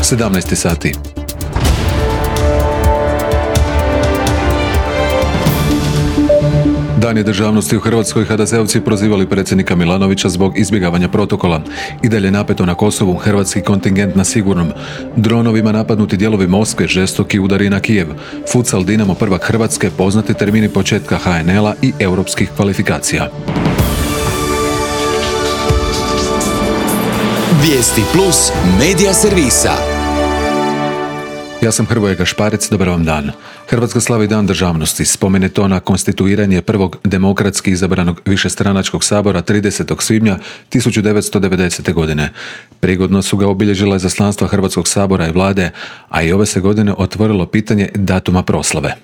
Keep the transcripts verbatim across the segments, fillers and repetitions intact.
sedamnaest sati. Dan je državnosti u Hrvatskoj. ha de zeovci prozivali predsjednika Milanovića zbog izbjegavanja protokola. I dalje napeto na Kosovu, hrvatski kontingent na sigurnom. Dronovima napadnuti dijelovi Moskve, žestoki udari na Kijev. Futsal Dinamo prvak Hrvatske, poznati termini početka ha en el-a i europskih kvalifikacija. Vijesti plus medija servisa. Ja sam Hrvoje Gašparec, dobar vam dan. Hrvatska slavi Dan državnosti, spomene to na konstituiranje prvog demokratski izabranog višestranačkog sabora tridesetog svibnja tisuću devetsto devedesete. godine. Prigodno su ga obilježila izaslanstva Hrvatskog sabora i vlade, a i ove se godine otvorilo pitanje datuma proslave.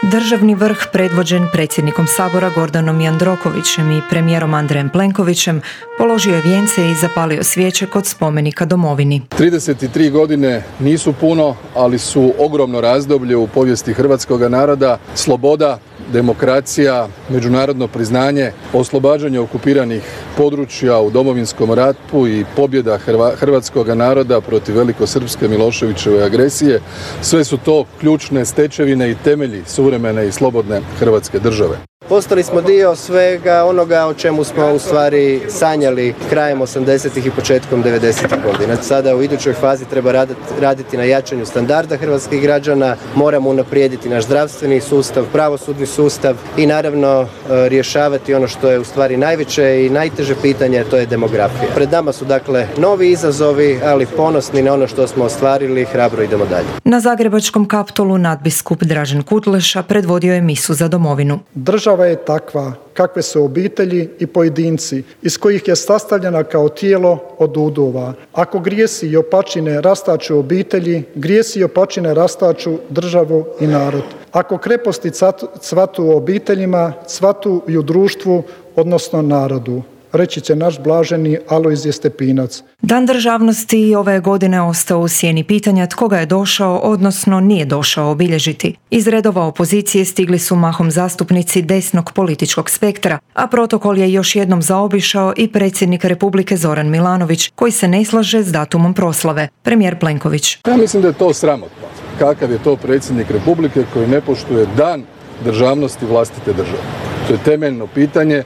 Državni vrh predvođen predsjednikom Sabora Gordanom Jandrokovićem i premijerom Andrejem Plenkovićem položio je vijence i zapalio svijeće kod spomenika domovini. trideset tri godine nisu puno, ali su ogromno razdoblje u povijesti hrvatskog naroda. Sloboda, demokracija, međunarodno priznanje, oslobađanje okupiranih područja u Domovinskom ratu i pobjeda hrvatskog naroda protiv velikosrpske Miloševićeve agresije, sve su to ključne stečevine i temelji suvremene i slobodne Hrvatske države. Postali smo dio svega onoga o čemu smo u stvari sanjali krajem osamdesetih i početkom devedesetih godina. Sada u idućoj fazi treba raditi na jačanju standarda hrvatskih građana, moramo unaprijediti naš zdravstveni sustav, pravosudni sustav i naravno rješavati ono što je u stvari najveće i najteže pitanje, to je demografija. Pred nama su dakle novi izazovi, ali ponosni na ono što smo ostvarili, hrabro idemo dalje. Na zagrebačkom Kaptolu nadbiskup Dražen Kutleša predvodio je misu za domovinu. Država je takva kakve su obitelji i pojedinci iz kojih je sastavljena kao tijelo od udova. Ako grijesi i opačine rastaču obitelji, grijesi i opačine rastaču državu i narod. Ako kreposti cvatu u obiteljima, cvatu i u društvu, odnosno narodu. Reći će naš blaženi Alojzije Stepinac. Dan državnosti ove godine ostao u sjeni pitanja tko ga je došao, odnosno nije došao obilježiti. Iz redova opozicije stigli su mahom zastupnici desnog političkog spektra, a protokol je još jednom zaobišao i predsjednik Republike Zoran Milanović, koji se ne slaže s datumom proslave. Premijer Plenković. Ja mislim da je to sramotno. Kakav je to predsjednik Republike koji ne poštuje dan državnosti vlastite države? To je temeljno pitanje.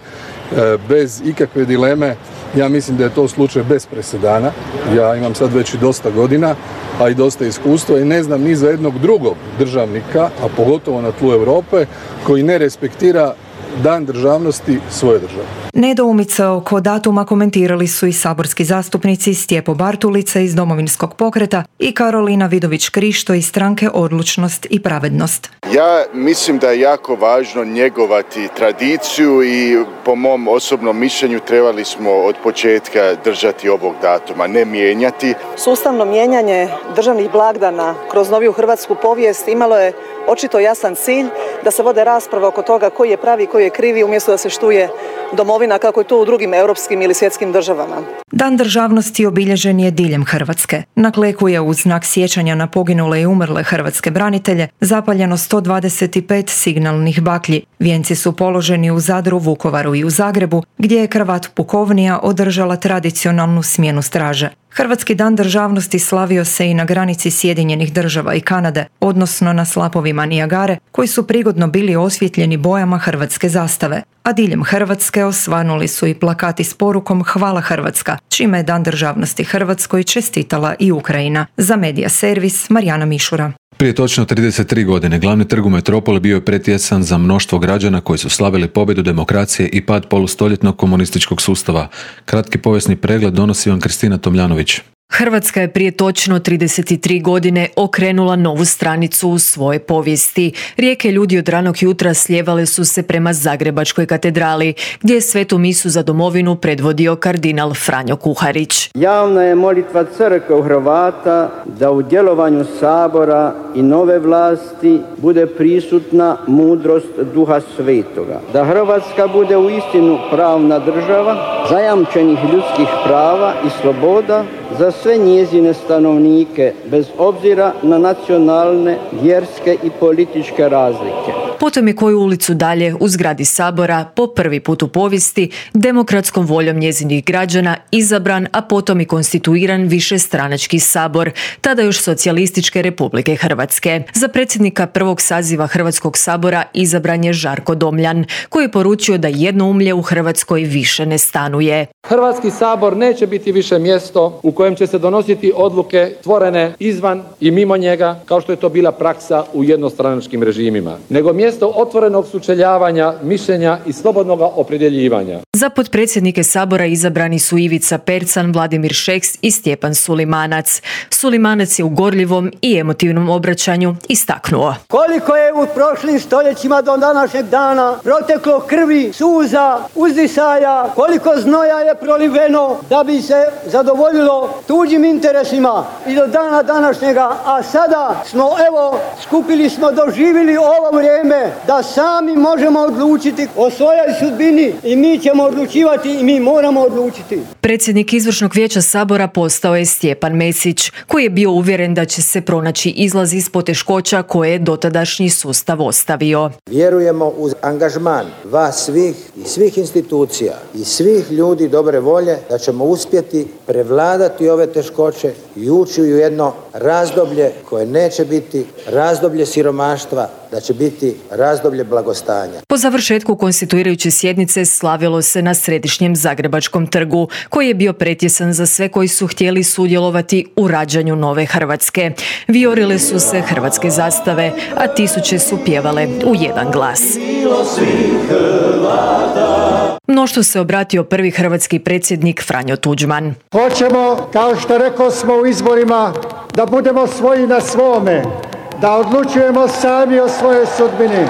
Bez ikakve dileme, ja mislim da je to slučaj bez presedana. Ja imam sad već i dosta godina, a i dosta iskustva i ne znam ni za jednog drugog državnika, a pogotovo na tlu Europe, koji ne respektira Dan državnosti svoje države. Nedoumice oko datuma komentirali su i saborski zastupnici Stjepo Bartulica iz Domovinskog pokreta i Karolina Vidović-Krišto iz stranke Odlučnost i pravednost. Ja mislim da je jako važno njegovati tradiciju i po mom osobnom mišljenju trebali smo od početka držati ovog datuma, ne mijenjati. Sustavno mijenjanje državnih blagdana kroz noviju hrvatsku povijest imalo je očito jasan cilj da se vode rasprave oko toga koji je pravi, koji je krivi, umjesto da se štuje domovina kako je to u drugim europskim ili svjetskim državama. Dan državnosti obilježen je diljem Hrvatske. Na Kleku je uz znak sjećanja na poginule i umrle hrvatske branitelje zapaljeno sto dvadeset pet signalnih baklji. Vijenci su položeni u Zadru, Vukovaru i u Zagrebu, gdje je kravat pukovnija održala tradicionalnu smjenu straže. Hrvatski dan državnosti slavio se i na granici Sjedinjenih država i Kanade, odnosno na slapovima Nijagare, koji su prigodno bili osvjetljeni bojama hrvatske zastave. A diljem Hrvatske osvanuli su i plakati s porukom Hvala Hrvatska, čime je Dan državnosti Hrvatskoj čestitala i Ukrajina. Za Medija servis Marijana Mišura. Prije točno trideset tri godine glavni trg u metropoli bio je pretjesan za mnoštvo građana koji su slavili pobjedu demokracije i pad polustoljetnog komunističkog sustava. Kratki povijesni pregled donosi vam Kristina Tomljanović. Hrvatska je prije točno trideset tri godine okrenula novu stranicu u svoje povijesti. Rijeke ljudi od ranog jutra slijevale su se prema Zagrebačkoj katedrali, gdje je svetu misu za domovinu predvodio kardinal Franjo Kuharić. Javna je molitva crkve Hrvata da u djelovanju Sabora i nove vlasti bude prisutna mudrost Duha Svetoga. Da Hrvatska bude uistinu pravna država, zajamčenih ljudskih prava i sloboda za sve njezine stanovnike, bez obzira na nacionalne, vjerske i političke razlike. Potom je koju ulicu dalje u zgradi Sabora po prvi put u povijesti demokratskom voljom njezinih građana izabran, a potom i konstituiran višestranački sabor, tada još Socijalističke Republike Hrvatske. Za predsjednika prvog saziva Hrvatskog sabora izabran je Žarko Domljan, koji je poručio da jednoumlje u Hrvatskoj više ne stanuje. Hrvatski sabor neće biti više mjesto u kojem će se donositi odluke tvorene izvan i mimo njega, kao što je to bila praksa u jednostranačkim režimima, nego mjesto otvorenog sučeljavanja, mišljenja i slobodnog opredjeljivanja. Za potpredsjednike sabora izabrani su Ivica Percan, Vladimir Šeks i Stjepan Sulimanac. Sulimanac je u gorljivom i emotivnom obraćanju istaknuo: koliko je u prošlim stoljećima do današnjeg dana proteklo krvi, suza, uzdisaja, koliko znoja je proliveno da bi se zadovoljilo tuđim interesima i do dana današnjega, a sada smo evo skupili smo, doživjeli ovo vrijeme da sami možemo odlučiti o svojoj sudbini i mi ćemo odlučivati i mi moramo odlučiti. Predsjednik izvršnog vijeća sabora postao je Stjepan Mesić, koji je bio uvjeren da će se pronaći izlaz iz poteškoća koje je dotadašnji sustav ostavio. Vjerujemo uz angažman vas svih i svih institucija i svih ljudi dobre volje da ćemo uspjeti prevladati ove teškoće i ući u jedno razdoblje koje neće biti razdoblje siromaštva, da će biti razdoblje blagostanja. Po završetku konstituirajuće sjednice slavilo se na središnjem Zagrebačkom trgu, koji je bio pretjesan za sve koji su htjeli sudjelovati u rađanju nove Hrvatske. Vijorile su se hrvatske zastave, a tisuće su pjevale u jedan glas. Mnoštvu se obratio prvi hrvatski predsjednik Franjo Tuđman. Hoćemo, kao što rekao smo u izborima, da budemo svoji na svome, da odlučujemo sami o svojoj sudbini.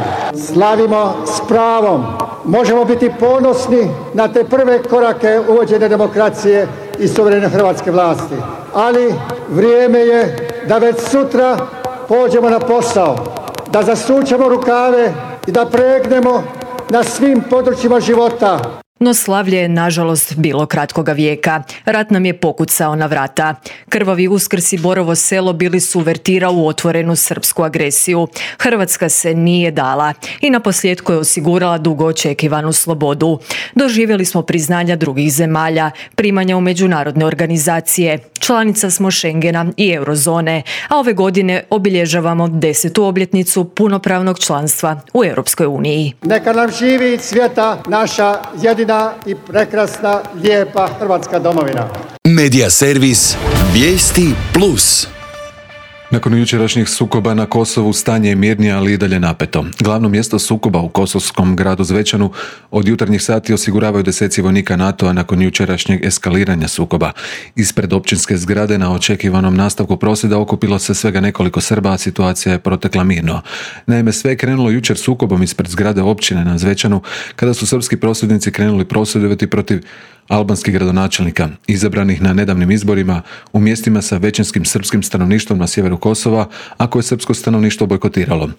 Slavimo s pravom. Možemo biti ponosni na te prve korake uvođenja demokracije i suverene hrvatske vlasti. Ali vrijeme je da već sutra pođemo na posao, da zasučemo rukave i da pregnemo na svim područjima života. No slavlje je nažalost bilo kratkoga vijeka. Rat nam je pokucao na vrata. Krvavi Uskrs i Borovo Selo bili su uvertira u otvorenu srpsku agresiju. Hrvatska se nije dala i naposljetku je osigurala dugo očekivanu slobodu. Doživjeli smo priznanja drugih zemalja, primanja u međunarodne organizacije, članica smo Schengena i Eurozone, a ove godine obilježavamo desetu obljetnicu punopravnog članstva u Europskoj uniji. Neka nam živi svijeta naša jedina i prekrasna, lijepa Hrvatska domovina. Medija servis Vijesti plus. Nakon jučerašnjih sukoba na Kosovu stanje je mirnije, ali i dalje napeto. Glavno mjesto sukoba u kosovskom gradu Zvečanu od jutarnjih sati osiguravaju deseci vojnika NATO-a nakon jučerašnjeg eskaliranja sukoba. Ispred općinske zgrade na očekivanom nastavku prosvjeda okupilo se svega nekoliko Srba, a situacija je protekla mirno. Naime, sve je krenulo jučer sukobom ispred zgrade općine na Zvečanu, kada su srpski prosvjednici krenuli prosvjedovati protiv albanskih gradonačelnika, izabranih na nedavnim izborima u mjestima sa većinskim srpskim stanovništvom na sjeveru Kosova, a koje je srpsko stanovništvo bojkotiralo.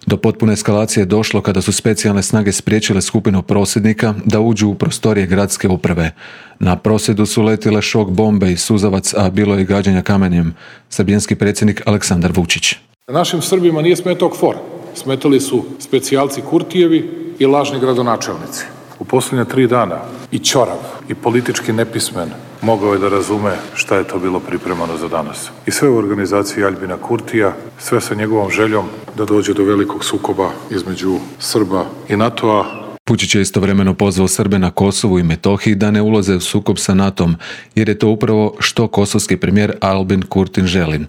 Do potpune eskalacije je došlo kada su specijalne snage spriječile skupinu prosvjednika da uđu u prostorije gradske uprave. Na prosvjedu su letile šok bombe i suzavac, a bilo je i gađanja kamenjem. Srbijanski predsjednik Aleksandar Vučić. Našim Srbima nije smetao KFOR. Smetali su specijalci Kurtijevi i lažni gradonačelnici. U posljednje tri dana i ćorav i politički nepismen mogao je da razume šta je to bilo pripremano za danas. I sve u organizaciji Aljbina Kurtija, sve sa njegovom željom da dođe do velikog sukoba između Srba i NATO-a. Vučić je istovremeno pozvao Srbe na Kosovu i Metohiji da ne ulaze u sukob sa NATO-om, jer je to upravo što kosovski premijer Albin Kurti želi.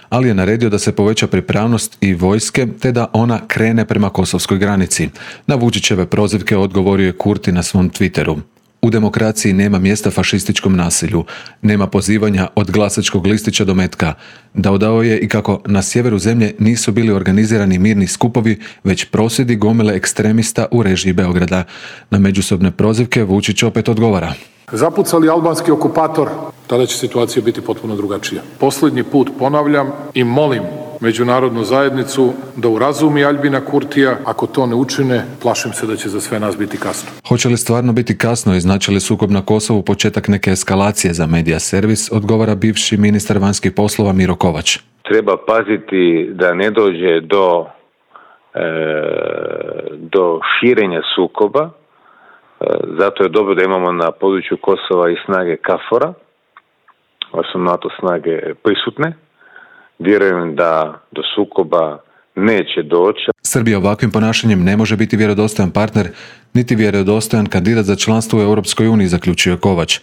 Ali je naredio da se poveća pripravnost i vojske, te da ona krene prema kosovskoj granici. Na Vučićeve prozivke odgovorio je Kurti na svom Twitteru. U demokraciji nema mjesta fašističkom nasilju, nema pozivanja od glasačkog listića do metka. Dodao je i kako na sjeveru zemlje nisu bili organizirani mirni skupovi, već prosvjedi gomile ekstremista u režiji Beograda. Na međusobne prozivke Vučić opet odgovara. Zapucali albanski okupator, tada će situacija biti potpuno drugačija. Posljednji put ponavljam i molim međunarodnu zajednicu da urazumi Aljbina Kurtija. Ako to ne učine, plašim se da će za sve nas biti kasno. Hoće li stvarno biti kasno i znači li sukob na Kosovu početak neke eskalacije za medija servis, odgovara bivši ministar vanjskih poslova Miro Kovač. Treba paziti da ne dođe do do širenja sukoba. Zato je dobro da imamo na području Kosova i snage KFOR-a, su NATO snage prisutne. Vjerujem da do sukoba neće doći. Srbija ovakvim ponašanjem ne može biti vjerodostojan partner, niti vjerodostojan kandidat za članstvo u Europskoj uniji, zaključio Kovač.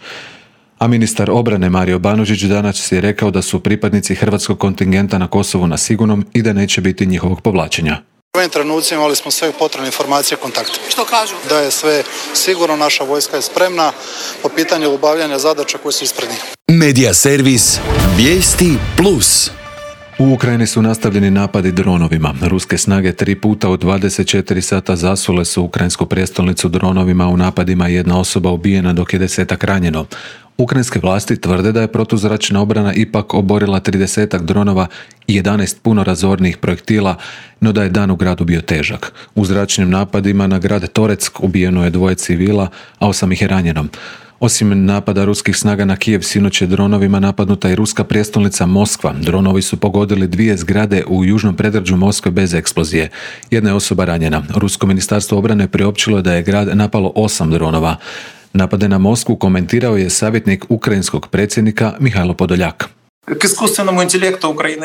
A ministar obrane Mario Banožić danas je rekao da su pripadnici hrvatskog kontingenta na Kosovu na sigurnom i da neće biti njihovog povlačenja. U ovim trenucima imali smo sve potrebne informacije i kontakte. Što kažu? Da je sve sigurno, naša vojska je spremna po pitanju obavljanja zadaća koje su ispred njih. Medija servis Vijesti Plus. U Ukrajini su nastavljeni napadi dronovima. Ruske snage tri puta u dvadeset četiri sata zasule su ukrajinsku prijestolnicu dronovima. U napadima jedna osoba ubijena dok je desetak ranjeno. Ukrajinske vlasti tvrde da je protuzračna obrana ipak oborila tridesetak dronova i jedanaest puno razornih projektila, no da je dan u gradu bio težak. U zračnim napadima na grad Toreck ubijeno je dvoje civila, a osam ih je ranjeno. Osim napada ruskih snaga na Kijev, sinoć je dronovima napadnuta i ruska prijestolnica Moskva. Dronovi su pogodili dvije zgrade u južnom predgrađu Moskve bez eksplozije. Jedna je osoba ranjena. Rusko ministarstvo obrane priopćilo je da je grad napalo osam dronova. Napade na Moskvu komentirao je savjetnik ukrajinskog predsjednika Mihajlo Podoljak.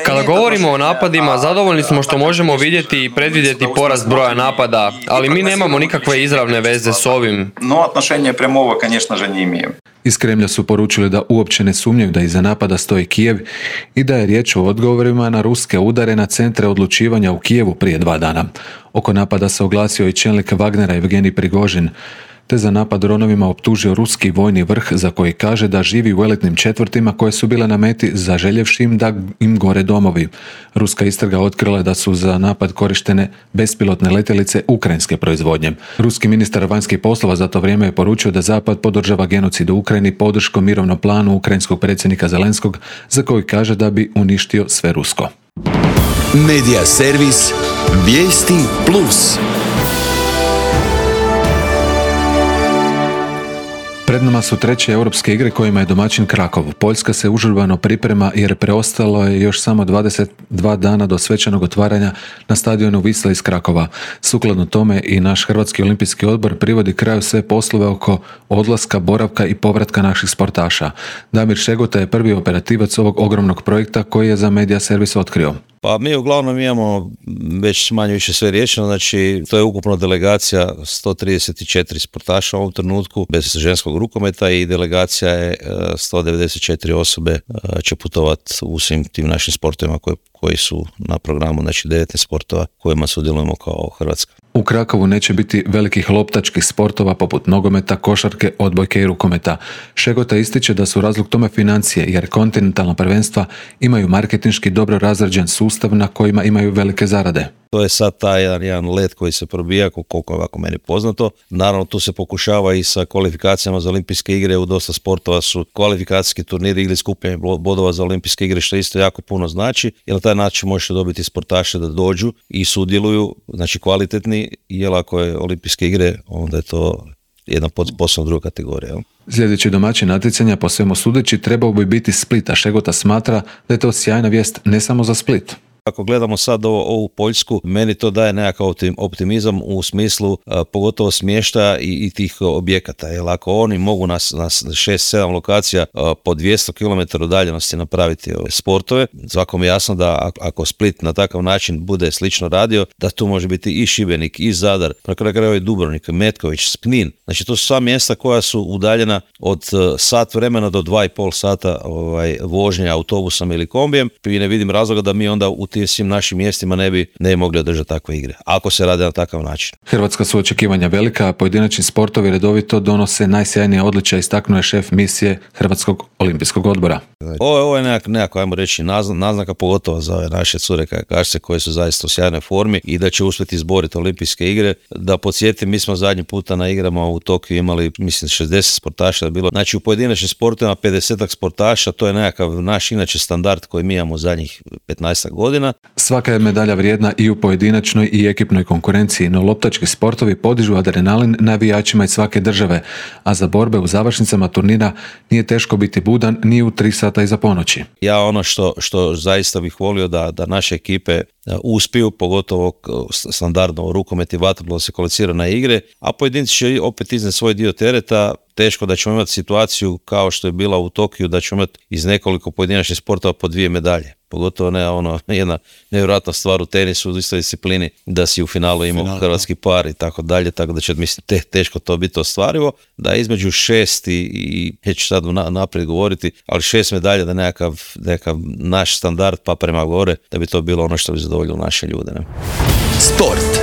Kada govorimo o napadima, zadovoljni smo što možemo vidjeti i predvidjeti porast broja napada, ali mi nemamo nikakve izravne veze s ovim. Iz Kremlja su poručili da uopće ne sumnjaju da iza napada stoji Kijev i da je riječ o odgovorima na ruske udare na centre odlučivanja u Kijevu prije dva dana. Oko napada se oglasio i čelnik Wagnera Evgenij Prigožin, te za napad dronovima optužio ruski vojni vrh za koji kaže da živi u elitnim četvrtima koje su bile na meti zaželjevši im da im gore domovi. Ruska istraga otkrila je da su za napad korištene bespilotne letjelice ukrajinske proizvodnje. Ruski ministar vanjskih poslova za to vrijeme je poručio da Zapad podržava genocid u Ukrajini podrškom mirovnom planu ukrajinskog predsjednika Zelenskog, za koji kaže da bi uništio sve rusko. Medija servis Vijesti Plus. Pred nama su treće europske igre kojima je domaćin Krakov. Poljska se užurbano priprema jer preostalo je još samo dvadeset dva dana do svečanog otvaranja na stadionu Wisla iz Krakova. Sukladno tome i naš Hrvatski olimpijski odbor privodi kraju sve poslove oko odlaska, boravka i povratka naših sportaša. Damir Šegota je prvi operativac ovog ogromnog projekta koji je za Medija servis otkrio. Pa mi uglavnom imamo već manje više sve riješeno, znači to je ukupno delegacija sto trideset četiri sportaša u ovom trenutku bez ženskog rukometa i delegacija je sto devedeset četiri osobe će putovati u svim tim našim sportovima koji, koji su na programu, znači devet sportova kojima sudjelujemo kao Hrvatska. U Krakovu neće biti velikih loptačkih sportova poput nogometa, košarke, odbojke i rukometa. Šegota ističe da su razlog tome financije, jer kontinentalna prvenstva imaju marketinški dobro razrađen sustav na kojima imaju velike zarade. To je sad taj jedan, jedan let koji se probija, koliko je ovako meni poznato. Naravno, tu se pokušava i sa kvalifikacijama za olimpijske igre. U dosta sportova su kvalifikacijski turniri ili skupljanje bodova za olimpijske igre, što isto jako puno znači. Jer na taj način možete dobiti sportaše da dođu i sudjeluju, znači kvalitetni, jer ako je olimpijske igre, onda je to jedna posebna druga kategorija. Jel? Sljedeći domaćin natjecanja, po svemu sudeći, trebao bi biti Split, a Šegota smatra da je to sjajna vijest ne samo za Split. Ako gledamo sad ovo, ovu Poljsku, meni to daje nekakav optimizam u smislu a, pogotovo smještaja i, i tih objekata. Jer ako oni mogu na, na šest sedam lokacija a, po dvjesto kilometara udaljenosti napraviti ove sportove, svakom je jasno da ako Split na takav način bude slično radio, da tu može biti i Šibenik, i Zadar, na kraju krajeva i Dubrovnik, Metković, Knin. Znači to su sva mjesta koja su udaljena od sat vremena do dva i pol sata ovaj, vožnje autobusom ili kombijem. I ne vidim razloga da mi onda u svim našim mjestima ne bi ne mogli održati takve igre, ako se radi na takav način. Hrvatska su očekivanja velika, a pojedinačni sportovi redovito donose najsjajnije odličja, istaknuo je šef misije Hrvatskog olimpijskog odbora. Ovo, ovo je nekako, nekako, ajmo reći, naznaka pogotovo za ove naše cure kajakašice koje su zaista u sjajnoj formi i da će uspjeti izboriti olimpijske igre. Da podsjetim, mi smo zadnji puta na igrama u Tokiju imali, mislim, šezdeset sportaša je bilo. Znači u pojedinačnim sportovima pedeset sportaša, to je nekakav naš inače standard koji mi imamo zadnjih petnaest godina. godina. Svaka je medalja vrijedna i u pojedinačnoj i ekipnoj konkurenciji, no loptački sportovi podižu adrenalin navijačima iz svake države, a za borbe u završnicama turnira nije teško biti budan ni u tri sata iza ponoći. Ja ono što, što zaista bih volio da, da naše ekipe uspiju, pogotovo standardno u rukomet i vaterpolo se kvalificira na igre, a pojedinci će opet iznijeti svoj dio tereta. Teško da ćemo imati situaciju kao što je bila u Tokiju, da ćemo imati iz nekoliko pojedinačnih sportova po dvije medalje. Pogotovo ne ono, jedna nevjerojatna stvar u tenisu, u istoj disciplini, da si u finalu imao Final, hrvatski par i tako dalje, tako da će mislim te, teško to biti ostvarivo, da između šest i, i neću sad na, naprijed govoriti, ali šest medalja da nekakav, nekakav naš standard pa prema gore, da bi to bilo ono što bi zadovoljilo naše ljude. Ne? Sport.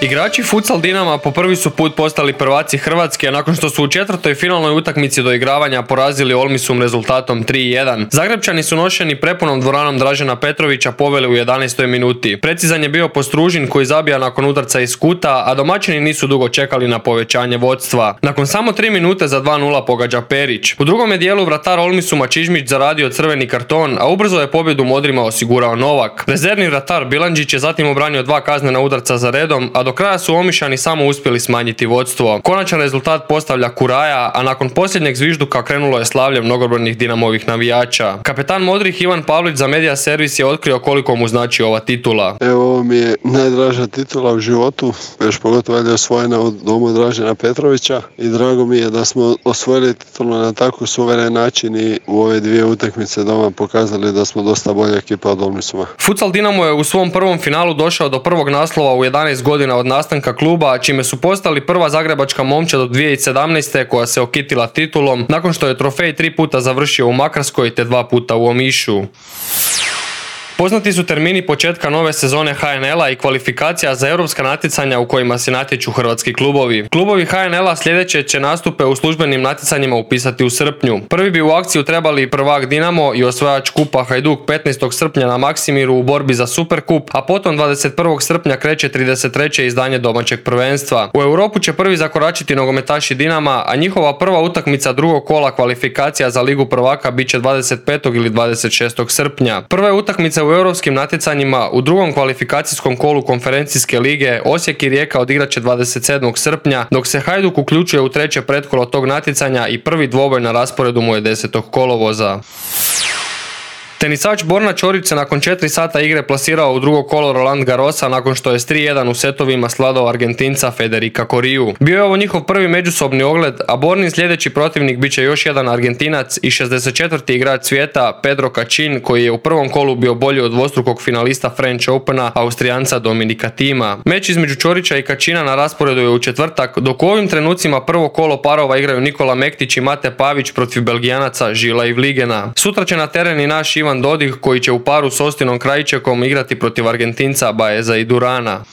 Igrači futsal Dinama po prvi su put postali prvaci Hrvatske nakon što su u četvrtoj finalnoj utakmici doigravanja porazili Olmisum rezultatom tri jedan. Zagrebčani su nošeni prepunom dvoranom Dražena Petrovića poveli u jedanaestoj minuti. Precizan je bio Postružin koji zabija nakon udarca iz kuta, a domaćini nisu dugo čekali na povećanje vodstva. Nakon samo tri minute za dva nula pogađa Perić. U drugom je dijelu vratar Olmisuma Čižmić zaradio crveni karton, a ubrzo je pobjedu Modrima osigurao Novak. Rezervni vratar Bilandžić je zatim obranio dva kaznena udarca za redom, a do kraja su Omišani samo uspjeli smanjiti vodstvo. Konačan rezultat postavlja Kuraja, a nakon posljednjeg zvižduka krenulo je slavlje mnogobrojnih Dinamovih navijača. Kapetan Modrih Ivan Pavlić za Media Servis je otkrio koliko mu znači ova titula. Evo, ovo mi je najdraža titula u životu, još pogotovo je osvojena od domu Dražena Petrovića i drago mi je da smo osvojili titulu na tako suveren način i u ove dvije utakmice doma pokazali da smo dosta bolja ekipa od Olmisuma. Futsal Dinamo je u svom prvom finalu došao do prvog naslova u jedanaest godina od nastanka kluba, čime su postali prva zagrebačka momčad od dvije tisuće sedamnaeste koja se okitila titulom nakon što je trofej tri puta završio u Makarskoj te dva puta u Omišu. Poznati su termini početka nove sezone ha en el-a i kvalifikacija za europska natjecanja u kojima se natječu hrvatski klubovi. Klubovi ha en el-a sljedeće će nastupe u službenim natjecanjima upisati u srpnju. Prvi bi u akciju trebali prvak Dinamo i osvajač kupa Hajduk petnaestog srpnja na Maksimiru u borbi za Superkup, a potom dvadeset prvog srpnja kreće trideset treće izdanje domaćeg prvenstva. U Europu će prvi zakoračiti nogometaši Dinama, a njihova prva utakmica drugog kola kvalifikacija za Ligu prvaka bit će dvadeset petog ili dvadeset šestog srpnja. Prve utakmice u europskim natjecanjima u drugom kvalifikacijskom kolu konferencijske lige Osijek i Rijeka odigrat će dvadeset sedmog srpnja, dok se Hajduk uključuje u treće pretkolo tog natjecanja i prvi dvoboj na rasporedu mu je desetog kolovoza. Tenisač Borna Ćorić se nakon četiri sata igre plasirao u drugo kolo Roland Garrosa nakon što je s tri jedan u setovima svladao Argentinca Federica Coriju. Bio je ovo njihov prvi međusobni ogled, a Bornin sljedeći protivnik bit će još jedan Argentinac i šezdeset četvrti igrač svijeta Pedro Cachin, koji je u prvom kolu bio bolji od dvostrukog finalista French Opena Austrijanca Dominika Thima. Meč između Ćorića i Cachina na rasporedu je u četvrtak, dok u ovim trenucima prvo kolo parova igraju Nikola Mektić i Mate Pavić protiv Belgijanaca Žila i Vligena. Sutra će na teren i naš Ivan Dodig koji će u paru s Ostinom Krajičekom igrati protiv Argentinca Baeza i Durana.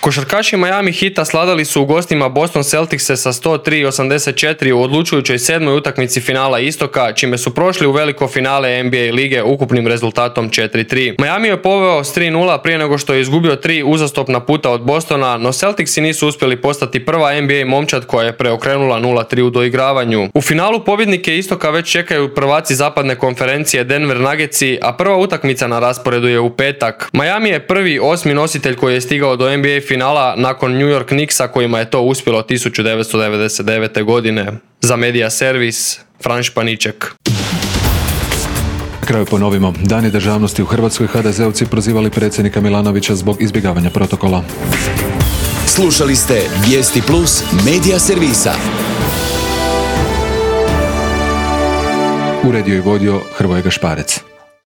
Košarkaši Miami Heata sladali su u gostima Boston Celticse sa sto tri osamdeset četiri u odlučujućoj sedmoj utakmici finala Istoka, čime su prošli u veliko finale en be a lige ukupnim rezultatom četiri tri. Miami je poveo s tri nula prije nego što je izgubio tri uzastopna puta od Bostona, no Celticsi nisu uspjeli postati prva en be a momčad koja je preokrenula nula tri u doigravanju. U finalu pobjednike Istoka već čekaju prvaci zapadne konferencije Denver Nuggetsi, a prva utakmica na rasporedu je u petak. Miami je prvi osmi nositelj koji je stigao do en be a finala nakon New York Knicksa kojima je to uspjelo tisuću devetsto devedeset devete. godine. Za Media Servis, Fran Španiček. Na kraju ponovimo. Dani državnosti u Hrvatskoj ha de zeovci prozivali predsjednika Milanovića zbog izbjegavanja protokola. Slušali ste Vijesti Plus Media Servisa. Uredio i vodio Hrvoje Gašparec.